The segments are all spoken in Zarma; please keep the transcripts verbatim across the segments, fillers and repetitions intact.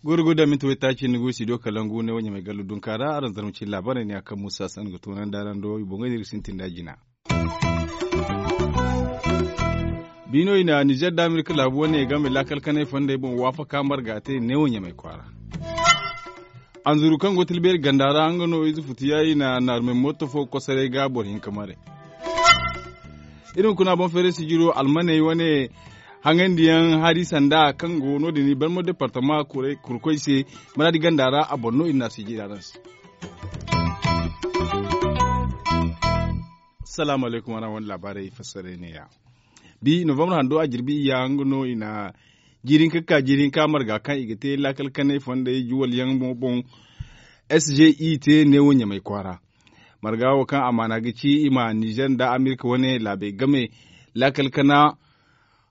Gurgu da minti waytaaci ni go studio kalangu ne wo ɲamay gallu dunka ra araŋ zarma cine laabaarey ne a kaŋ musa san ga toonandi araŋ do i boŋey no iri ga sintin da jina. Biino i na nizer da amerika laabu wane game laakal kanay fondey boŋ waafaka marga te neewo ɲamay kwaara. Anzuru kaŋ go tilbeeri ganda ra nga no ize futu ya i na naarumey mooto fo kosoray ga boro hinka maray. Iri ma kuna boŋ feeray sijiro almaney wane haŋandiyaŋ hari sanda kaŋ go no- din i barmo departama kurkoy se maraadi ganda ra a boŋ no iri na sijira araŋ se. Salaamu alaykum araŋ wane laabaarey fassaray ne- ya. Bi novambar hando a jirbi iyya nga no i na jiiri hinka ga ka jiiri hinka marga kaŋ i ga te laakal kanay fondey juwal yaŋ boŋ. S g i te neewo ɲamay kwaara marga wo kaŋ amaana ga ci i ma nizer nda amerika wane laabey game laakal kana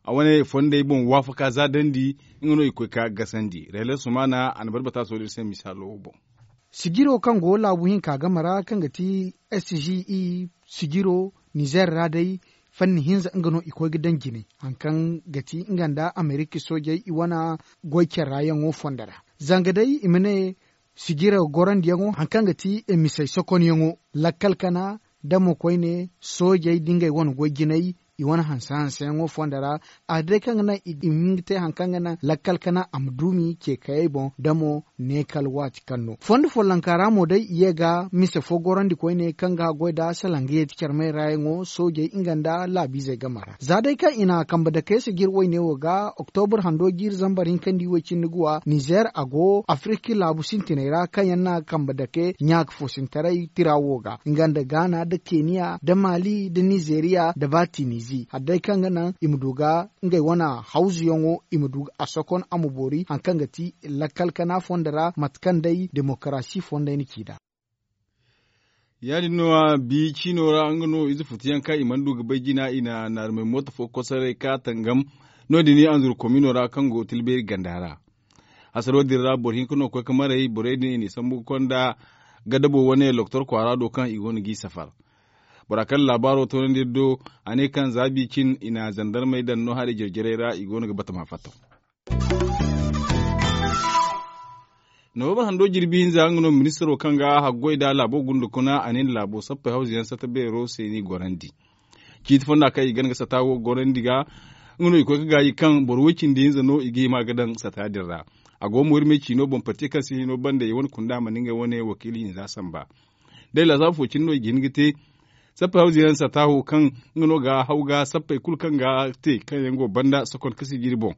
a wane fondey boŋ waafaka za dandi. Nga no i ga koy ga gasandi rayla sumaana a na bari bata soodin se misaalo wo boŋ. Sijiro kaŋ go laabu hinka game ra kaŋ ga ti s g e sijiro nizer ra day fanni hinza nga no i koy ga daŋ jine hari kaŋ ga ti nga nda amerika soojey i wane goy care ra yaŋo fondo ra. Zanga day i ma ne sijiro gorandiyaŋo hari kaŋ ga ti misey sokonyaŋo lakkal kana damo koyne soojey da ngey wane goy jinay i wane hanse hanseyaŋo fondo ra. A day kaŋ ga naŋ i ma hin ga te hari kaŋ ga naŋ lakkal kana a ma duumi ce kayey boŋ damo ne kala waati kaŋ no fondo follonka ra mo day i ye ga mise fo gorandi koyne kaŋ ga haggoy nda salangayey ti carmey ra yaŋo soojey nga nda laabiizey game ra za day kaŋ i na kambe dake sijir wayne wo ga oktobar hando jiiri zambar hinkandi way cindi guwa nizer a go afiriki laabu sintiney ra kaŋ yaŋ na kambe dake ɲaaka foosintaray tira wo ga nga nda gaana nda keniya nda maali nda nizeriya nda ba tinizi hari day kaŋ ga naŋ i ma du ga ngey wane hawzuyaŋo i ma du a sokon a ma boori hari kaŋ ga ti lakkal kana fondo ra mate kaŋ day demokarasi fondey na ci nd'a. Ya- din no a bi ciino ra nga no ize futuyaŋ kaŋ i mana du ga bay jina i na naarumey mooto fo kosoray ka tangam no- din anzuru komino ra kaŋ go tilbeeri ganda ra. Hasaro din ra boro hinka no koy ga maray borey din i n'i sambu ga konda gadabo wane loktor kwaara do kaŋ i go no g'i safar. Bora kaŋ laabaaro toonandi iri do a ne kaŋ za bi cin i na zandarmey daŋ no hari jare-jarey ra i go no ga batama fattaw. Nobambar hando jirbi hinza nga no ministiro kaŋ ga haggoy nda laabo gunda kuna a ne nda laabo sappey hawzuyaŋ sata beero se n'i gorandi. Ciiti fonda kaŋ i gana ga sata wo gorandi ga nga no i koy ga gaayi kaŋ boro way cindi hinza no i ga hima ga daŋ sata din ra. A go mo iri me ciino boŋ parti kaŋ si hino banda i wane kunda mana ngey wane wakiili hinza samba. Day laasaabu fo cine no i ga hin ga te sappey hawzuyaŋ sata wo kaŋ nga no ga haw ga sappey kulu kaŋ ga te kaŋ yaŋ go banda sokon ka si jiri boŋ.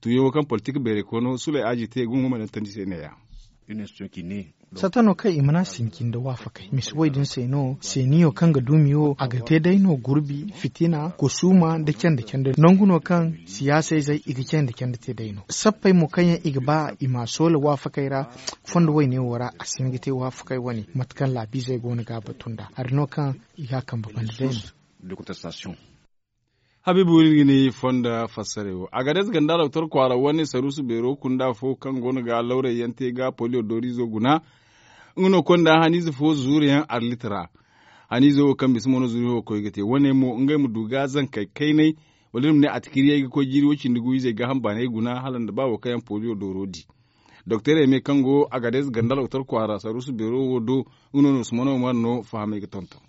Tuuyaŋo kaŋ politik beeray koono sulay aaji te gungu ma daŋ tandi se ne- ya. Sata no kaŋ i mana sinci nda waafakey mise way din se no seeniyo kaŋ ga duumi wo a ga te day no gurbi fitina kusuuma nda canda canda nangu no kaŋ siyaasa izey i ga canda canda te day no sappey mo kaŋ yaŋ i ga ba i ma a soola waafakey ra. Fondo wayne wo ra a si hin ga te waafakey wane mate kaŋ laabiizey go no ga a batu nd'a hari no kaŋ i ga a kambe banda day no. Habiibu iri ga ni fonda fassarey wo a ga day se ganda doktor kwaara wane saruusu beero kunda fo kaŋ go no ga lawray yaŋ te ga poliyo dooriizo guna. Nga no konda haniize fo zuuru yaŋ arlit ra. Haniize wo kaŋ bisa mo no zuuru yaŋ wo koy ga te wane mo ngey ma du ga zankey kaynay wala iri ma ne atikiriyey ga koy jiiri way cindi gu izey gaaham baanay guna hala nda ba wo kaŋ yaŋ poliyo dooro di. Doktor eme kaŋ go a ga day se ganda doktor kwaara saruusu beero wo do. Nga no no sumano mar no fahamay ga tonton.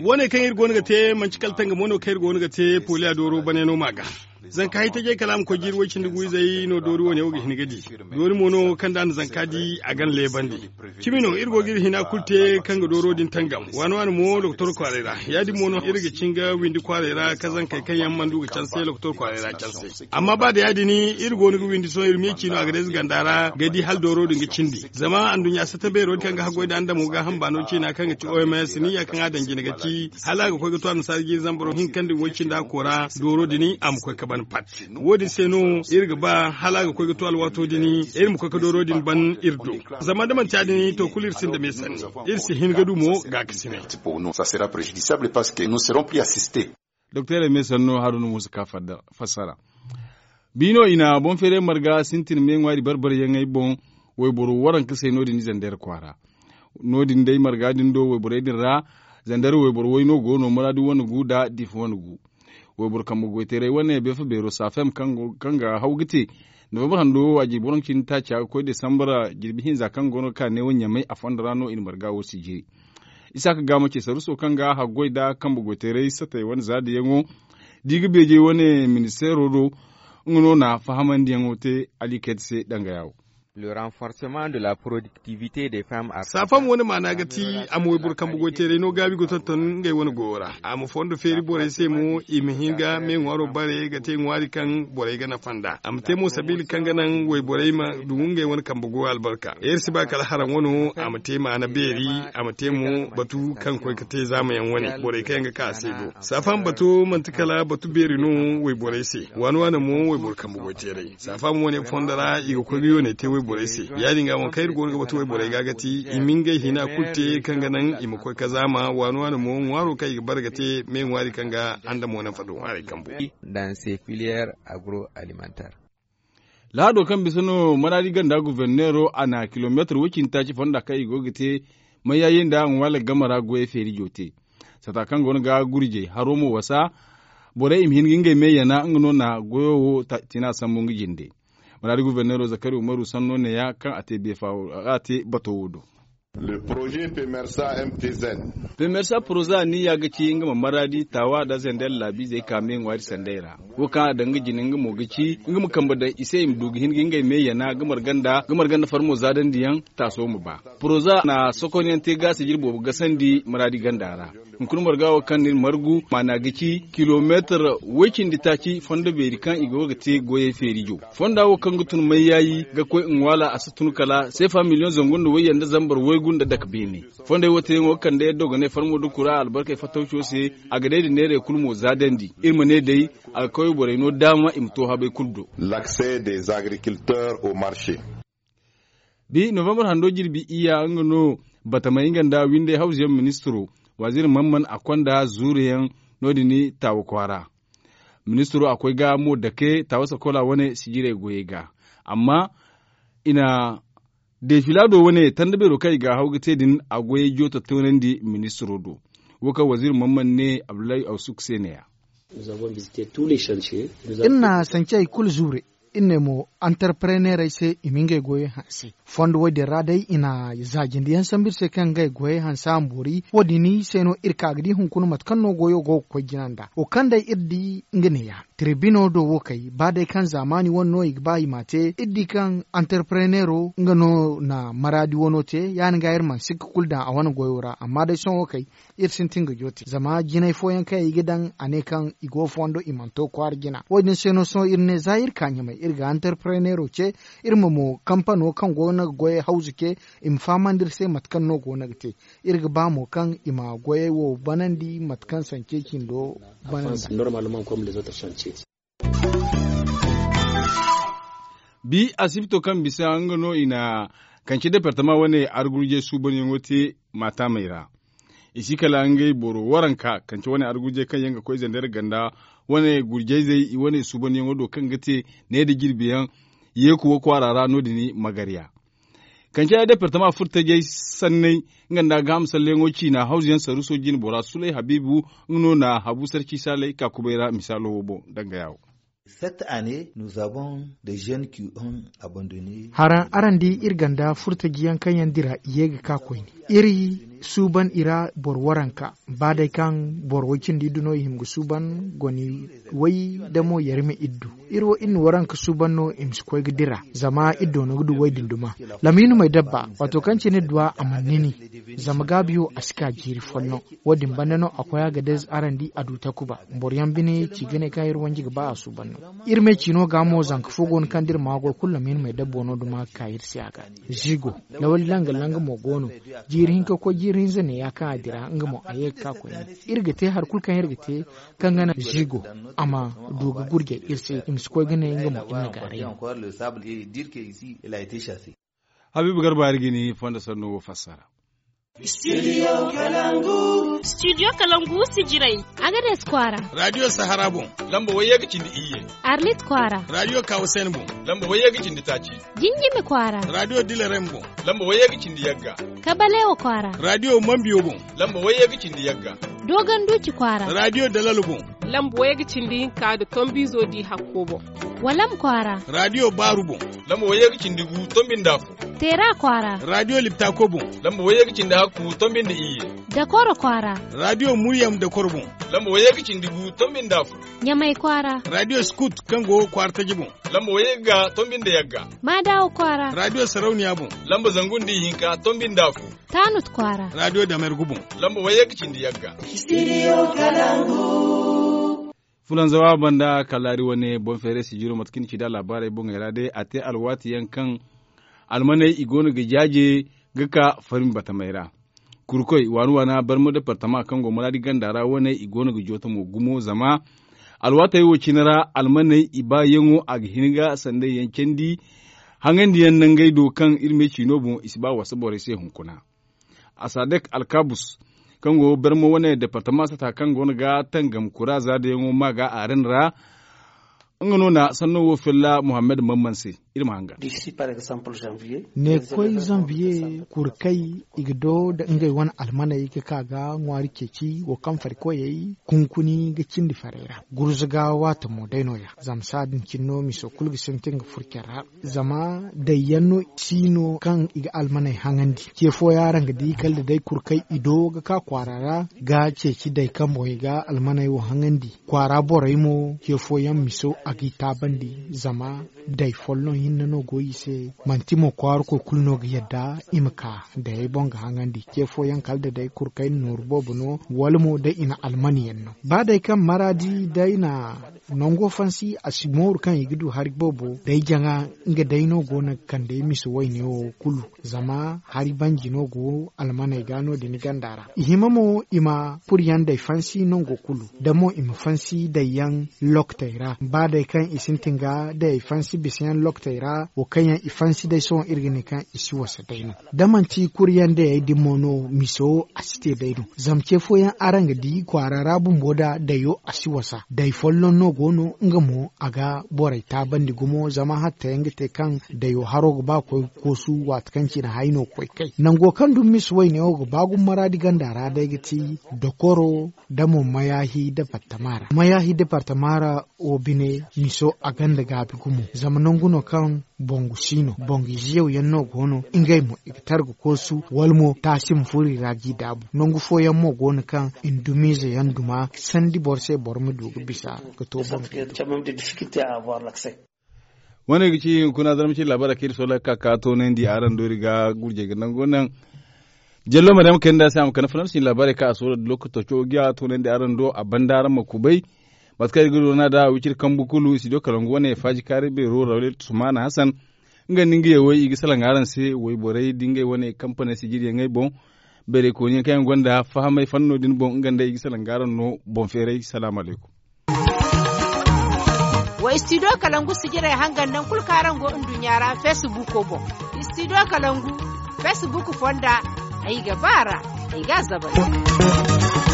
Wane kaŋ iri go no ga te manci kala tangamo no kaŋ iri go no ga te poliya dooro bane no ma ga. Zanka hay tajey kala a ma koy jiiri way cindi gu izey no doori wane wo ga hin ga di. Doori mo no kaŋ da a na zanka di a ga na leebandi. Cimi no iri go ga iri hina kulu te kaŋ ga dooro din tangam waani waani mo doktor kwaaray ra. Ya- din mo no iri ga cin ga windi kwaaray ra ka zankey kaŋ yaŋ mana du ga canse doktor kwaaray ra canse. Amma ba da ya- din iri go no ga windi sohõ iri ma ye ciino a ga day ze ganda ra ga di hala dooro din ga cindi zama anduɲɲa sata beero kaŋ ga haggoy nda andamo gaaham baano ciina kaŋ ga ci oms niyya kaŋ a daŋ jine ga ci hala a ga koy ga to annasaara jiiri zambaro hinka nda way cindi a koora dooro din a ma koy ga ban pat. Wo- din se no iri ga ba hala a ga koy ga to alwaato din iri ma koy ga dooro din ban iri do. Zama da manti ya- din to kulu iri sinda me sanni. Iri si hin ga du mo gaakasinay. Doktor eme sanno haruna muusa ka fassara. Biino i na boŋ feeray marga sintin me ŋwaari barbarayaŋey boŋ. wayboro waranka se no- din zandar kwaara. No- din day marga din do wayborey din ra, zandar wayboro wayno go no muraadi wane gu nda difa wane gu. Wayboro kambe goyteeray wane beefa beero safem kaŋ ga haw ga te novembar hando waaji boro nka cindi taaca ga koy desambara jirbi hinza kaŋ go no ga ka neewo ɲamay a fondo ra no i na marga wo sijiri. Isaaka gaama ce saruso kaŋ ga haggoy nda kambe goyteeray satey wane zaadiyaŋo da i ga beejey wane ministeero do. Nga no na fahamandiyaŋo te ali kayta se dangaya wo. Saafam wane maana ga ti a ma wayboro kambe goyteeray no gaabi ga tonton ngey wane goyo ra. A ma fondo feeri borey se mo i ma hin ga me ŋwaaro bare ga te ŋwaari kaŋ borey ga nafa nd'a a ma te mo sabiila kaŋ ga naŋ wayborey ma du ngey wane kambe goyo albarka. Iri si ba kala haraŋ wano a ma te maana beeri, a ma te mo batu kaŋ koy ga te zaamayaŋ wane borey kaŋ yaŋ ga ka a se do. Saafam bato manti kala batu beeri no wayborey se. Waani waani mo wayboro kambe goyteeray saafam wane fondo ra i ga koy ga yoonay te wayborey se. Ya- din ga waŋ kaŋ iri go no ga batu wayborey ga ga ti i ma ngey hina kulu te kaŋ ga naŋ i ma koy kazaama waani waani mo ŋwaaro kaŋ i ga bare ga te me ŋwaari kaŋ ga andamo nafa do ŋwaarey kambo. Dans ces filières agro alimentaires. Lahado kaŋ bisa no maraadi ganda guverneero a na kilomeetar woy cindi taaci fonda kaŋ i go ga te mayyayi nda ŋwaala game ra goyey feerijo te. Sata kaŋ go no ga gurjey haro mo wasa borey i ma hin ga ngey me yana nga no na goyo wo tina sambu nga jinde. Maraadi guverneero zakari umaru sanno neeya kaŋ a te beefa a te bato wo do. Pemersa poroza niya ga ci nga ma maraadi taawa nda zender laabiizey ka me ŋwaari sandey ra. Wo kaŋ a daŋ ga jina nga mo ga ci nga ma kambe daŋ i se i ma du ga hin ga ngey me yana ga marga nda farmo zaadandi yaŋ taaso ma ba. Poroza na sokonyaŋ te ga sijir boobo gasandi maraadi ganda ra. Hunkuna marga wo kaŋ ni na margu maana ga ci kilomeetar woy cindi taaci fondo beeri kaŋ i go ga te goyey feerijo. Fonda wo kaŋ ga tun mayyaayi ga koy nwaala a si tun kala seefa miliyoŋ zangu nda wayyaŋ nda zambar waygu nda dake beene. Fondey wo teyaŋo ga kande yaddo ga ne farmo nda kura albarkey fattawco se. A ga day nda neerey kulu mo zaadandi iri ma ne day a ga kaway borey no daama i ma to habay kulu do. L'accès des agriculteurs au marché. Bi novembar hando jirbi iyya nga no batamey nga nda windey hawzuyaŋ ministiro waaziri man man a konda zuuruyaŋ no- din taawa kwaara. Ministiro a koy ga mo dake taawa sakola wane sijirey goyey ga. Amma i na defilaado wane tanda beero kaŋ i ga haw ga te din a goyey jooto toonandi ministiro do. Wo kaŋ waziiri man man ne abdullahi awsuk se ne- ya. Iri na sancey kulu zuure. Iri ne mo antarpreneerey se i ma ngey goyey hanse. Fondo wo- din ra day i na zaajindiyaŋ sambu iri se kaŋ ngey goyey hanse a ma boori wo- din se no iri ka ga di hunkuna mate kaŋ no goyo go ga koy jina nd'a wo kaŋ day iri di nga neeya. Tirebino do wo kay ba day kaŋ zaamaani wane no i ga ba i m'a te iri di kaŋ antarpreneero nga no na maraadi wano te ya- din ga iri mana sikka kulu daŋ a wane goyo ra amma day sohõ wo kay iri sintin ga joote zama jinay fooyaŋ kaŋ i ga daŋ a ne kaŋ i go fondo i mana to kwaara jina wo- din se no sohõ iri ne za iri ka ɲamay iri ga antarpreneero ce iri ma mo kampano kaŋ go no ga goyey hawzu ce i ma fahamandi iri se mate kaŋ no go no ga te. Iri ga ba mo kaŋ i ma goyey wo banandi mate kaŋ sance cindo banandi. Bi asibto kaŋ bisa nga no i na kance departama wane argurjey suubanyaŋo te maatamey ra. I si kala ngey boro waranka kance wane argurjey kaŋ yaŋ ga koy zandar ganda wane gurjayzey i wane suubanyaŋo do kaŋ ga te ne nda jirbiyaŋ yeeku wo kwaara ra no- din magarya. Kance departama furtajey sanney nga nda gaaham salleyaŋo ciina hawzuyaŋ saruuso jine bora sulay habiibu nga no na habu sarci saalay ka kubay ra misaalo wo boŋ danga ya wo. Cette année nous avons des jeunes qui ont abandonné. Haraŋ araŋ di iri ganda furtajiyaŋ kaŋ yaŋ dira i ye ga ka koyne iri suuban i ra boro waranka ba day kaŋ boro way cindi iddu no i hima ga suuban goni way damo yarima iddu. Iri wo iri na waranka suuban no i ma si koy ga dira zama iri doono ga du way din duma. Lamiinu may dabba waato kaŋ cine duwa a mana nini zama gaabiyo a si ka jiiri folloŋ. Wo- din banda no a koy a ga day araŋ di a du takuba. Boro yaŋ bine ci ga ne kaŋ iri wanji ga ba a suuban no. Iri me ciino ga mo zanka fo go no kaŋ da iri ma goy kulu lamiinu may dabbo no duma ga ka iri se a ga zigo. Lawali langa langa mo go no. Jiiri hinka koy jiiri hinza ne ya kaŋ a dira nga mo a ye ga ka koyne. Iri ga te hari kulu kaŋ iri ga te kaŋ ga naŋ zigo a ma du ga gurjay iri se i ma si koy ga ne nga mo iri na gaaray no. Habiibu garba iri ga ni fondo sanno wo fassara. Studio kalangu. Studio kalangu sijirey. Agades kwaara. Radio sahara boŋ. Lamba wayye ga cindi iyye. Arlit kwaara. Radio kawusen boŋ. Lamba wayye ga cindi taaci. Jinjimi kwaara. Radio dilerem boŋ. Lamba wayye ga cindi yagga. Kabalewa kwaara. Radio mambiyo boŋ. Lamba wayye ga cindi yagga. Dogon duci kwaara. Radio dalal boŋ. Lamba wayye ga cindi hinka da tombizo di hakko boŋ. Walam kwaara. Radio baaru boŋ. Lamba wayye ga cindi gu tombi nda afo. Teera kwaara. Radio liptako boŋ. Lamba wayye ga cindi hakku tombi nda iyye. Dakoro kwaara. Radio muryam dakoro boŋ. Lamba wayye ga cindi gu tombi nda afo. Ɲamay kwaara. Radio scout kaŋ go kwaara taji boŋ. Lamba wayye ga tombi nda yagga. Madawa kwaara. Radio sarauniya boŋ. Lamba zangu nda ihinka tombi nda afo. Tanut kwaara. Radio damergu boŋ. Lamba wayye ga cindi yagga. Studio kalangu. Fulanzawa banda kalaari wane boŋ feeray sijiro mate kaŋ ni ci da laabaarey boŋey ra day a te alwaati yaŋ kaŋ almaney i go no ga jaaje ga ka farmi batamey ra. Kurkoy waani waana barmo departama kaŋ go maraadi ganda ra wane i go no ga jooto mo gumo zama alwaatey wo cine ra almaney i baayaŋo a ga hin ga sanday yaŋ candi. Hangandiyaŋ nangey do kaŋ iri me ciino boŋ i si ba wasa borey se hunkuna. Asadek alkabus kaŋ go barmo wane departama sata kaŋ go no ga tangam kura za da yaŋo ma ga a ran ra. Nga no na sanno wo filla muhammad mamman se. Iri ma hanga. Ne koy zanviye kurkay i ga do da ngey wane almaney ga ka ga ŋwaari ceeci wo kaŋ farikoyey kunkuni ga cindi farey ra. Gurzuga waata mo day no- ya zama saadin cine no miso kulu ga sintin ga furcen ra. Zama day yaŋ no si no kaŋ i ga almaney haŋandi ce fooyaŋ araŋ ga di kala da day kurkay i do ga ka kwaara ra ga ceeci day kaŋ boŋ i ga almaney wo haŋandi kwaara borey mo ce fooyaŋ miso a g'i taabandi. Zama day folloŋ hinne no go i se manti mo kwaara koy kulu no ga yadda i ma ka dayey boŋ ga haŋandi ce fooyaŋ kala da day kurkay na nooru boobo no wala mo day i na almani yaŋ no ba day kaŋ maraadi day na nango fansi a si mooru kaŋ i ga du hari boobo day jaŋa nga day no go no ga kande miso wayne wo kulu. Zama hari banji no go almaney ga no- din ganda ra i hima mo i ma kuryaŋ day fansi nango kulu da mo i ma fansi day yaŋ lokotey ra ba day kaŋ i sintin ga day fansi bisa yaŋ lokotey ra wo kaŋ yaŋ i fansi day sohõ iri ga ne kaŋ i si wasa day no. Da manti kuryaŋ dayey din mo no miso a si te day no zama ce fooyaŋ araŋ ga di kwaara ra bumbo da dayo a si wasa day folloŋ no go no nga mo a ga borey taabandi gumo zama hatta yaŋ ga te kaŋ dayo haro ga ba koy koosu waati kaŋ cine hay no koy kay nango kaŋ dumi miso wayne wo ga ba gumo maraadi ganda ra day ga ti dokoro da mo mayaahi departama ra mayaahi departama ra wo bine miso a gonda gaabi gumo zama nangu no kaŋ bongu si no bongu ize yaw yaŋ no go no ngey mo i ga targa koosu wala mo taasi ma furo i ra g'i daabu nangu fooyaŋ mo go no kaŋ i na dumiize yaŋ duma sandi boro se boro ma du ga bisa ga to bongu. Wane ga ci hunkuna zarma ci labaarey kaŋ iri sohõ ga ka ka toonandi araŋ do iri ga gurjey ga nango naŋ jallo ma day ma kayna nda se a ma kande fanaŋ si laabaarey kaŋ a sohõ da lokaco ga toonandi araŋ do a banda araŋ ma kubay. Mate kaŋ iri ga doona nd'a wiciri kambu kulu studio kalangu wane faaji kaari beero rawlet sumaana hasan nga nda ngey wo i ga salaŋ araŋ se wayborey da ngey wane kampaney sijiriyaŋey boŋ. Beerey kooniyaŋ kaŋ yaŋ gonda fahamay fanno din boŋ nga nda i ga salaŋ araŋ no boŋ feeray salaamu alaykum. Wa studio kalangu sijirey hangan naŋ kulu kaŋ araŋ go nduɲɲa ra facebook boŋ. Studio kalangu facebook fonda ay ga ba ra ay ga a zabari.